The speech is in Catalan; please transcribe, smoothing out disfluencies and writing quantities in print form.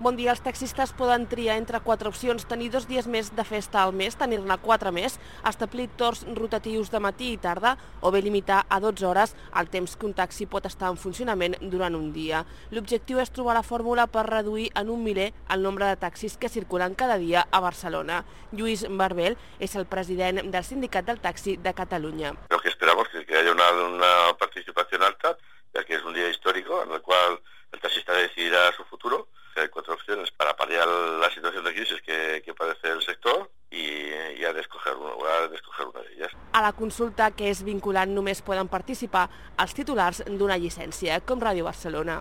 Bon dia, els taxistes poden triar entre 4 opcions, tenir 2 dies més de festa al mes, tenir-ne 4 més, establir torns rotatius de matí i tarda o bé limitar a 12 hores el temps que un taxi pot estar en funcionament durant un dia. L'objectiu és trobar la fórmula per reduir en un miler el nombre de taxis que circulen cada dia a Barcelona. Lluís Barbel és el president del Sindicat del Taxi de Cataluña. Lo que esperamos es que haya una participación alta, ya que es un día histórico en el cual el taxista decidirá su futuro. Hay 4 opciones para paliar la situación de crisis que padece el sector y ha de escoger una de ellas. A la consulta, que és vinculant, només poden participar els titulars d'una llicència, com Ràdio Barcelona.